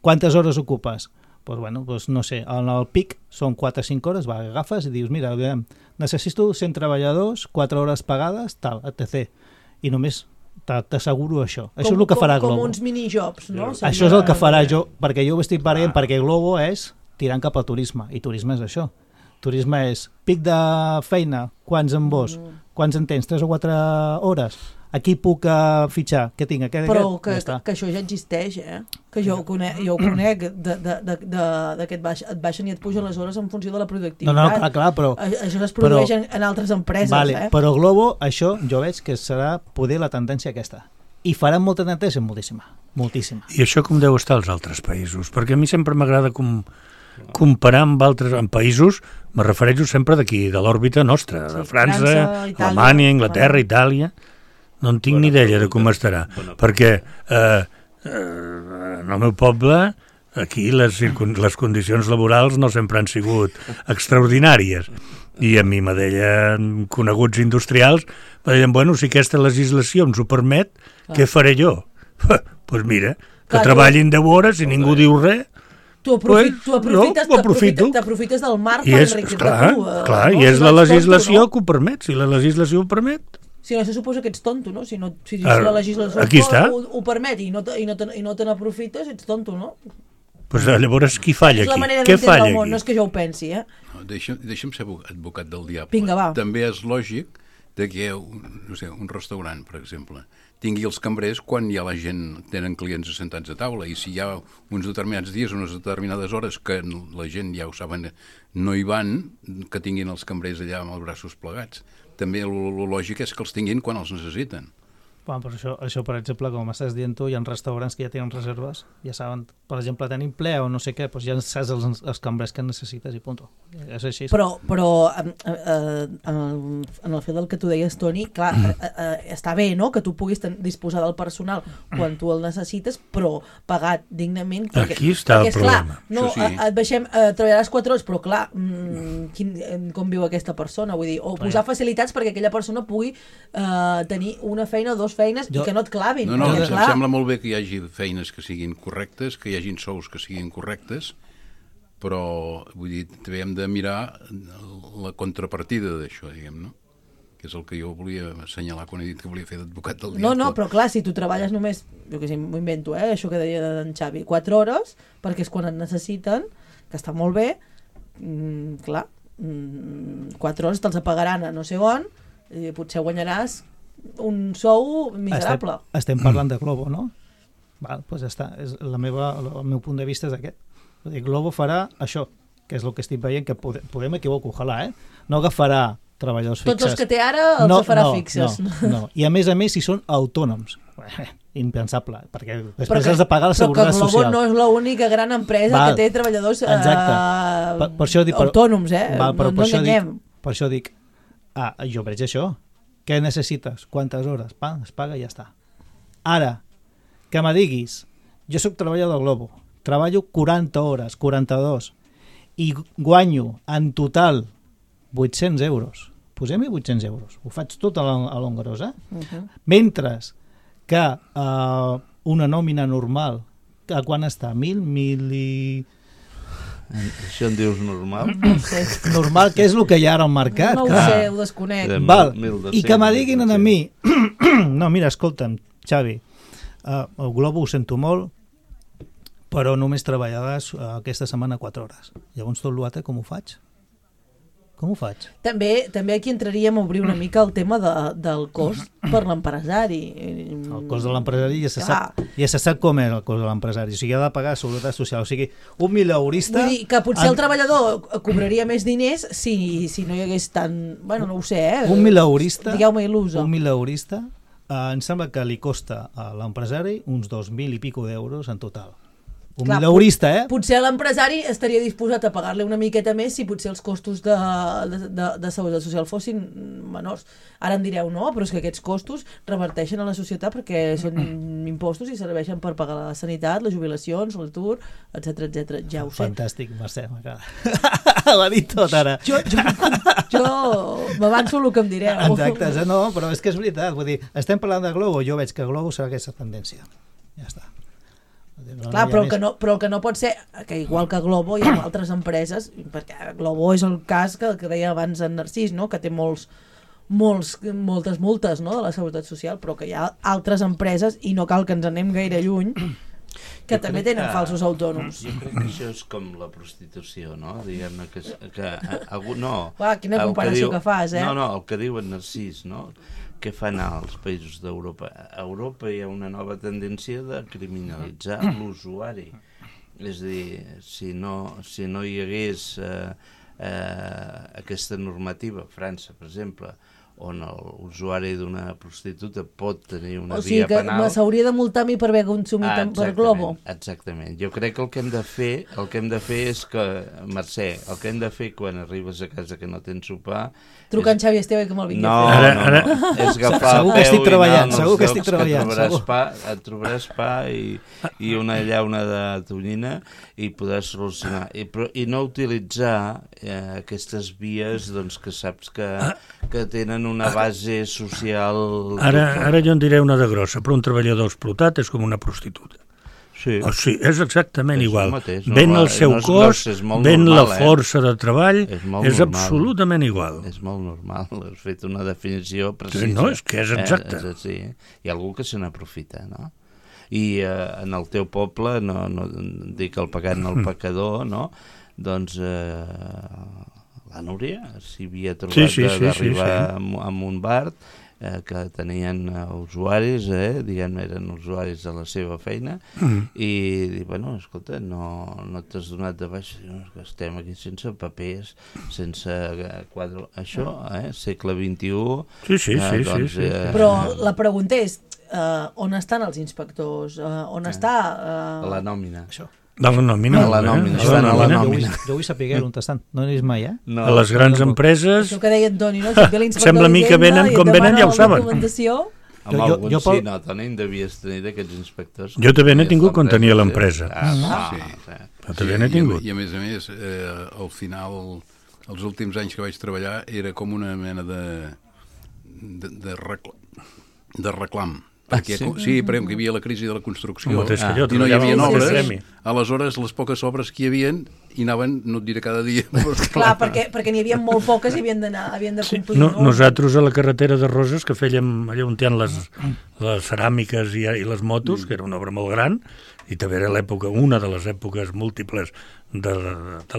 quantes hores ocupes? Doncs no sé, en el pic són 4 o 5 hores, agafes i dius, mira, necessito 100 treballadors, 4 hores pagades, tal, etc. I només t'asseguro això. Això és el que farà Globo. Com uns minijobs, no? Això és el que farà jo, perquè jo ho estic veient, perquè Globo és tirant cap al turisme, i turisme és això. Turisme és pic de feina, quants en vols, quants en tens, 3 o 4 hores, aquí puc fitxar, què tinc? Però que això ja existeix, que jo ho conec, d'aquest et baixen i et pugen les hores en funció de la productivitat. No, clar, però... Això es produeix en altres empreses, Però Globo, això jo veig que serà poder la tendència aquesta. I faran molta neteja, moltíssima. I això com deu estar als altres països? Perquè a mi sempre m'agrada comparar amb altres països, me refereixo sempre d'aquí, de l'òrbita nostra, de França, Alemanya, Anglaterra, Itàlia. No en tinc ni idea de com estarà, perquè en el meu poble aquí les condicions laborals no sempre han sigut extraordinàries, i a mi me deien coneguts industrials, me deien, bueno, si aquesta legislació ens ho permet, què faré jo? Doncs mira, que treballin 10 hores i ningú diu res. T'aprofites del marc per enriquir-te tu. Clar, i és la legislació que ho permet. Si la legislació ho permet... Si no, se suposa que ets tonto, no? Si la legislació ho permet i no te n'aprofites, ets tonto, no? Pues llavors qui falla aquí? És la manera d'entendre el món, no és que jo ho pensi, Deixa'm ser advocat del diable. Vinga, va. També és lògic que hi ha un restaurant, per exemple, tingui els cambrers quan ja la gent tenen clients assentats a taula, i si hi ha uns determinats dies, unes determinades hores que la gent ja ho saben, no hi van, que tinguin els cambrers allà amb els braços plegats. També el lògic és que els tinguin quan els necessiten. Bueno, però això, per exemple, com m'estàs dient tu, hi ha restaurants que ja tenen reserves, ja saben, per exemple, tenim ple o no sé què, doncs ja saps els cambrers que necessites i punt. És així. Però en el fet del que tu deies, Toni, clar, està bé, no?, que tu puguis disposar del personal quan tu el necessites, però pagat dignament. Aquí està el problema. No, et deixem, treballaràs 4 hores, però clar, com viu aquesta persona? Vull dir, o posar facilitats perquè aquella persona pugui tenir una feina o 2 feines i que no et clavin. No, em sembla molt bé que hi hagi feines que siguin correctes, que hi hagin sous que siguin correctes, però vull dir, també hem de mirar la contrapartida d'això, diguem, no? Que és el que jo volia assenyalar quan he dit que volia fer d'advocat del dia. No, però clar, si tu treballes només, jo què sé, m'ho invento, això que deia d'en Xavi, 4 hores, perquè és quan et necessiten, que està molt bé, clar, 4 hores te'ls apagaran a no sé on, i potser guanyaràs un sou miserable. Estem parlant de Globo, no? Val, doncs ja està. El meu punt de vista és aquest. Globo farà això, que és el que estic veient, que podem equivocar, ojalà, no agafarà treballadors fixes. Tots els que té ara els farà fixes. No. I a més, si són autònoms. Impensable, perquè després has de pagar la seguretat social. Però que Globo no és l'única gran empresa que té treballadors autònoms, no enganyem. Per això dic, jo veig això. Què necessites? Quantes hores? Es paga i ja està. Ara, que me diguis, jo soc treballador de Globo, treballo 40 hores, 42, i guanyo en total 800 euros. Posem-hi 800 euros. Ho faig tot a l'hongarós, Mentre que una nòmina normal, a quan està? 1.000 i... Això en dius normal? Normal, que és el que hi ha ara al mercat. No ho sé, ho desconec. Val. I que me diguin a mi no, mira, escolta'm, Xavi, el Globo ho sento molt, però només treballaràs aquesta setmana 4 hores. Llavors tot l'altre com ho faig? Com ho faig? També aquí entraríem a obrir una mica el tema del cost per l'empresari. El cost de l'empresari ja se sap com és el cost de l'empresari. O sigui, ha de pagar seguretat social. O sigui, un mileurista... Vull dir que potser el treballador cobraria més diners si no hi hagués tant... Bueno, no ho sé, Un mileurista... Digueu-me il·lusa. Un mileurista em sembla que li costa a l'empresari uns 2.000 i pico d'euros en total. Un mileurista, Potser l'empresari estaria disposat a pagar-li una miqueta més si potser els costos de seguretat social fossin menors. Ara em direu, no, però és que aquests costos reverteixen a la societat perquè són impostos i serveixen per pagar la sanitat, les jubilacions, l'atur, etc. Ja ho sé. Fantàstic, Mercè, m'acaba. L'ha dit tot ara. Jo m'avanço el que em direu. Exacte, no, però és que és veritat. Vull dir, estem parlant de Globo, jo veig que Globo serà aquesta tendència. Ja està. Clar, però el que no pot ser que igual que Globo hi ha altres empreses, perquè Globo és el cas que deia abans en Narcís, no? Que té moltes multes, no? De la seguretat social, però que hi ha altres empreses i no cal que ens anem gaire lluny que també tenen falsos autònoms. Jo crec que això és com la prostitució, no? Diguem-ne que no. Quina comparació que fas, No, el que diu en Narcís, no? Què fan als països d'Europa? A Europa hi ha una nova tendència de criminalitzar l'usuari. És a dir, si no hi hagués aquesta normativa, a França, per exemple, on l'usuari d'una prostituta pot tenir una via penal... O sigui que s'hauria de multar a mi per haver consumit per Globo. Exactament. Jo crec que el que hem de fer és que, Mercè, el que hem de fer quan arribes a casa que no tens sopar... Trucar en Xavi Esteve que me'l vingui a fer. No, és agafar segur que estic treballant, segur que estic treballant. Et trobaràs pa i una llauna de tonyina i podràs solucionar. I no utilitzar aquestes vies que saps que tenen una base social... Ara jo en diré una de grossa, però un treballador explotat és com una prostituta. Sí. O sigui, és exactament igual. Ven el seu cos, ven la força de treball, és absolutament igual. És molt normal, has fet una definició precisa. No, és que és exacte. Hi ha algú que se n'aprofita, no? I en el teu poble, no dic el pecat no el pecador, no? Doncs la Núria s'hi havia trobat d'arribar amb un bar que tenien usuaris, diguem, eren usuaris de la seva feina, i dic, bueno, escolta, no t'has donat de baix, que estem aquí sense papers, sense quadre, això, segle XXI. Sí. Però la pregunta és, on estan els inspectors? On està... A la nòmina. Això. De la nòmina. Estan a la nòmina. Jo vull saber on estan. No n'és mai, A les grans empreses... Això que deia Toni, no? Sembla a mi que venen, com venen ja ho saben. Amb algun sí, no, Toni, devies tenir d'aquests inspectors. Jo també n'he tingut quan tenia l'empresa. També n'he tingut. I a més, al final, els últims anys que vaig treballar, era com una mena de reclam. Perquè, sí, perquè hi havia la crisi de la construcció i no hi havia obres, aleshores les poques obres que hi havia hi anaven, no et diré cada dia. Clar, perquè n'hi havia molt poques i havien de complir. Nosaltres a la carretera de Roses, que fèiem allà on hi ha les ceràmiques i les motos, que era una obra molt gran, i també era l'època, una de les èpoques múltiples de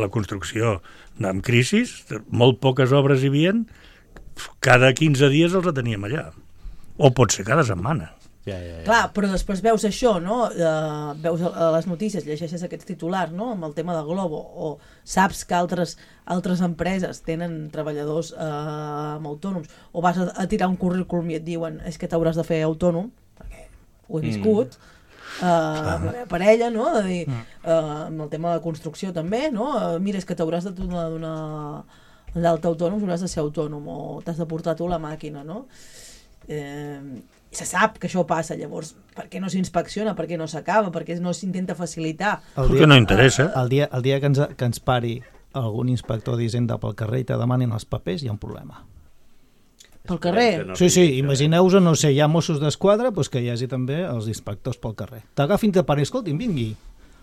la construcció amb crisis, molt poques obres hi havia, cada 15 dies els teníem allà, o pot ser cada setmana. Clar, però després veus això, no? Veus a les notícies, llegeixes aquests titulars, no? Amb el tema de Glovo, o saps que altres empreses tenen treballadors autònoms, o vas a tirar un currículum i et diuen és que t'hauràs de fer autònom, perquè ho he viscut, amb la meva parella, no? De dir, amb el tema de construcció també, no? Mira, és que t'hauràs de donar l'alta autònom, hauràs de ser autònom, o t'has de portar tu la màquina, no? Se sap que això passa, llavors per què no s'inspecciona, per què no s'acaba, per què no s'intenta facilitar? Perquè no interessa. El dia que ens pari algun inspector d'Hisenda pel carrer i te demanin els papers, hi ha un problema. Pel carrer? Sí, imagineu-vos, no sé, hi ha Mossos d'Esquadra, doncs que hi hagi també els inspectors pel carrer. T'agafin i te pari, escolti'm, vingui,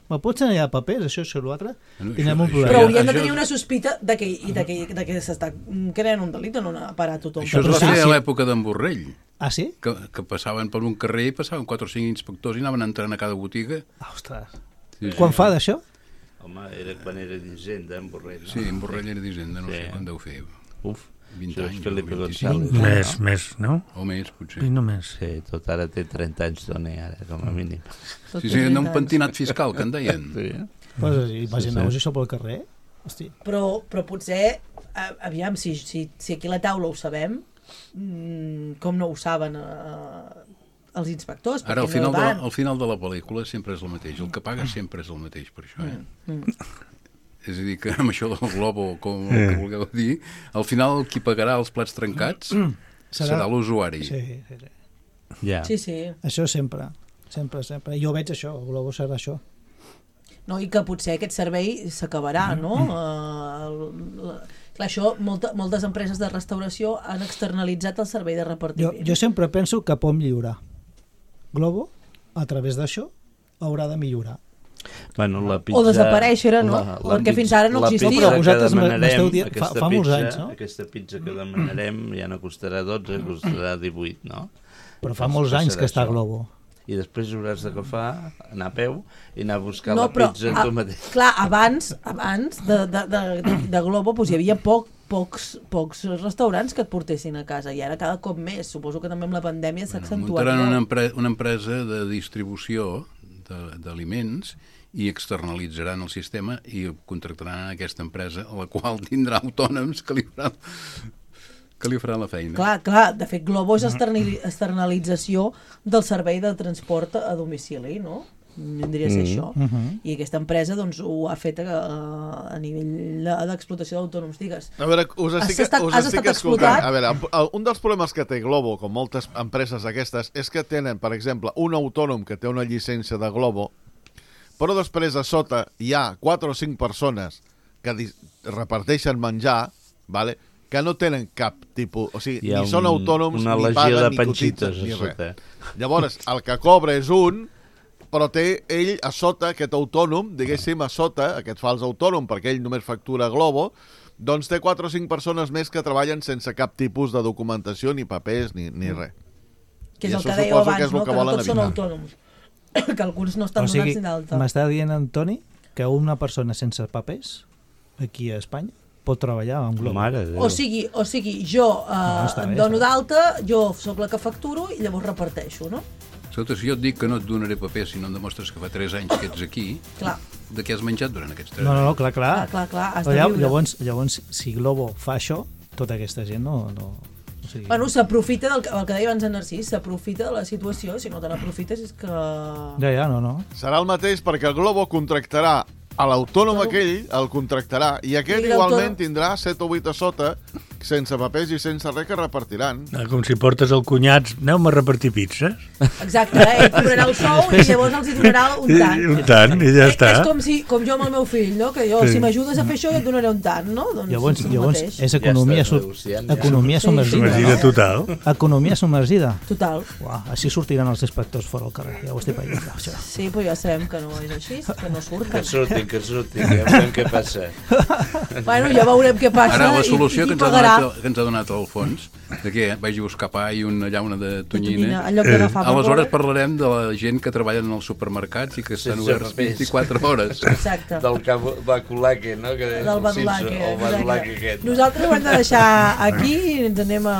me pots ensenyar papers, això, l'altre? Tindrem un problema. Però haurien de tenir una sospita de que s'està creant un delit o no parar tothom. Això es va fer a l'època d'en Borrell. Ah, sí? Que passaven per un carrer i passaven 4 o 5 inspectors i anaven entrant a cada botiga. Ostres. Quan fa d'això? Home, era quan era d'Hisenda, en Borrell. Sí, en Borrell era d'Hisenda, no sé quan deu fer. 20 anys. Felipe González. Més, no? O més, potser. I no més. Sí, tot ara té 30 anys d'on ara, com a mínim. Sí, un pentinat fiscal, que en deien. Pues imagineu-vos això pel carrer. Hosti. Però potser, aviam, si aquí a la taula ho sabem, com no ho saben els inspectors? Ara, al final de la pel·lícula sempre és el mateix. El que paga sempre és el mateix, per això. És a dir, que amb això del Globo, com el que vulgueu dir, al final qui pagarà els plats trencats serà l'usuari. Sí. Això sempre. Jo veig això, el Globo serà això. No, i que potser aquest servei s'acabarà, no? Clar, això, moltes empreses de restauració han externalitzat el servei de repartiment. Jo sempre penso que pot millorar. Globo, a través d'això, haurà de millorar. Bueno, la pizza, o desaparèixer, no? Perquè fins ara no existia. Però vosaltres m'esteu dient, fa molts anys, no? Aquesta pizza que demanarem ja no costarà 12, costarà 18, no? Però fa molts anys que està a Globo. I després hauràs d'agafar, anar a peu i anar a buscar la pizza tu mateix. Clar, abans de Globo hi havia pocs restaurants que et portessin a casa i ara cada cop més. Suposo que també amb la pandèmia s'ha accentuat. Muntaran una empresa de distribució d'aliments i externalitzaran el sistema i contractaran aquesta empresa a la qual tindrà autònoms que li faran la feina. Clar, de fet Globo és externalització del servei de transport a domicili, no? Vindria a ser això. I aquesta empresa doncs ho ha fet a nivell d'explotació d'autònoms, digues. A veure, us estic escoltant. A veure, un dels problemes que té Globo, com moltes empreses aquestes, és que tenen, per exemple, un autònom que té una llicència de Globo, però després a sota hi ha 4 o 5 persones que reparteixen menjar, vale? Que no tenen cap tipus... O sigui, ni són autònoms, ni paguen, ni cotitzen, ni res. Llavors, el que cobra és un, però té ell a sota, aquest autònom, diguéssim, a sota, aquest fals autònom, perquè ell només factura Globo, doncs té 4 o 5 persones més que treballen sense cap tipus de documentació, ni papers, ni res. Que és el que dèieu abans, no? Que no tots són autònoms. Que alguns no estan donats ni d'alta. M'està dient, Antoni, que una persona sense papers, aquí a Espanya, pot treballar amb Globo. O sigui, jo em dono d'alta, jo sóc la que facturo i llavors reparteixo, no? Escolta, si jo et dic que no et donaré paper si no em demostres que fa 3 anys que ets aquí, de què has menjat durant aquests 3 anys? No, clar. Has de viure. Llavors, si Globo fa això, tota aquesta gent no... O sigui... Bueno, s'aprofita del que deia abans en Narcís, s'aprofita de la situació, si no te n'aprofites és que... Ja, no. Serà el mateix perquè el Globo contractarà a l'autònom aquell, el contractarà, i aquest igualment tindrà 7 o 8 a sota, sense papers i sense res que repartiran. Com si portes el cunyats, aneu-me a repartir pizzas. Exacte, ell cobrarà el sou i llavors els hi donarà un tant. Un tant, i ja està. És com jo amb el meu fill, no? Que jo, si m'ajudes a fer això, jo et donaré un tant, no? Llavors és economia submergida. Submergida total. Economia submergida. Total. Així sortiran els inspectors fora al carrer, ja ho estic veient. Sí, però ja sabem que no és així, que no surten. Que surtin, ja veurem què passa. Bueno, ja veurem què passa. Ara, la solució que ens ha donat Alfons, de què vagi a buscar pa i una llauna de tonyina, aleshores parlarem de la gent que treballa en els supermercats i que estan oberts 24 hores. Exacte. Del Badulaque, no? Del Badulaque. Nosaltres ho hem de deixar aquí i ens anem a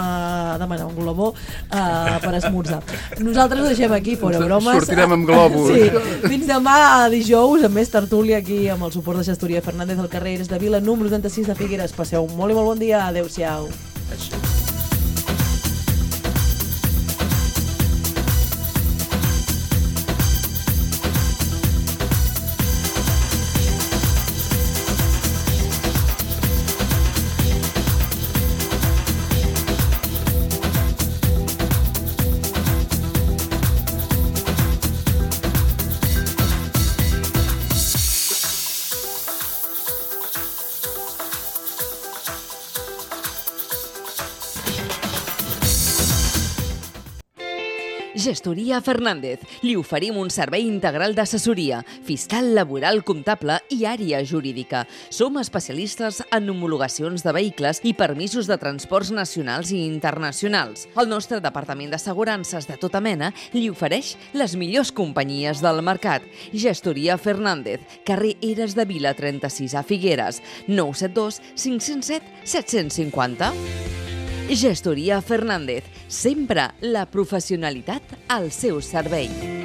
demanar un globó per esmorzar. Nosaltres ho deixem aquí, fora bromes. Sortirem amb globus. Sí. Fins demà a dijous, amb més tertúlia aquí amb el suport de Gestoria Fernández del carrer Eres de Vila, número 36 de Figueres. Passeu un molt i molt bon dia. Adéu-siau. Gestoria Fernández. Li oferim un servei integral d'assessoria, fiscal, laboral, comptable i àrea jurídica. Som especialistes en homologacions de vehicles i permisos de transports nacionals i internacionals. El nostre departament d'assegurances de tota mena li ofereix les millors companyies del mercat. Gestoria Fernández, carrer Eres de Vila 36 a Figueres, 972 507 750. Gestoria Fernández, sempre la professionalitat al seu servei.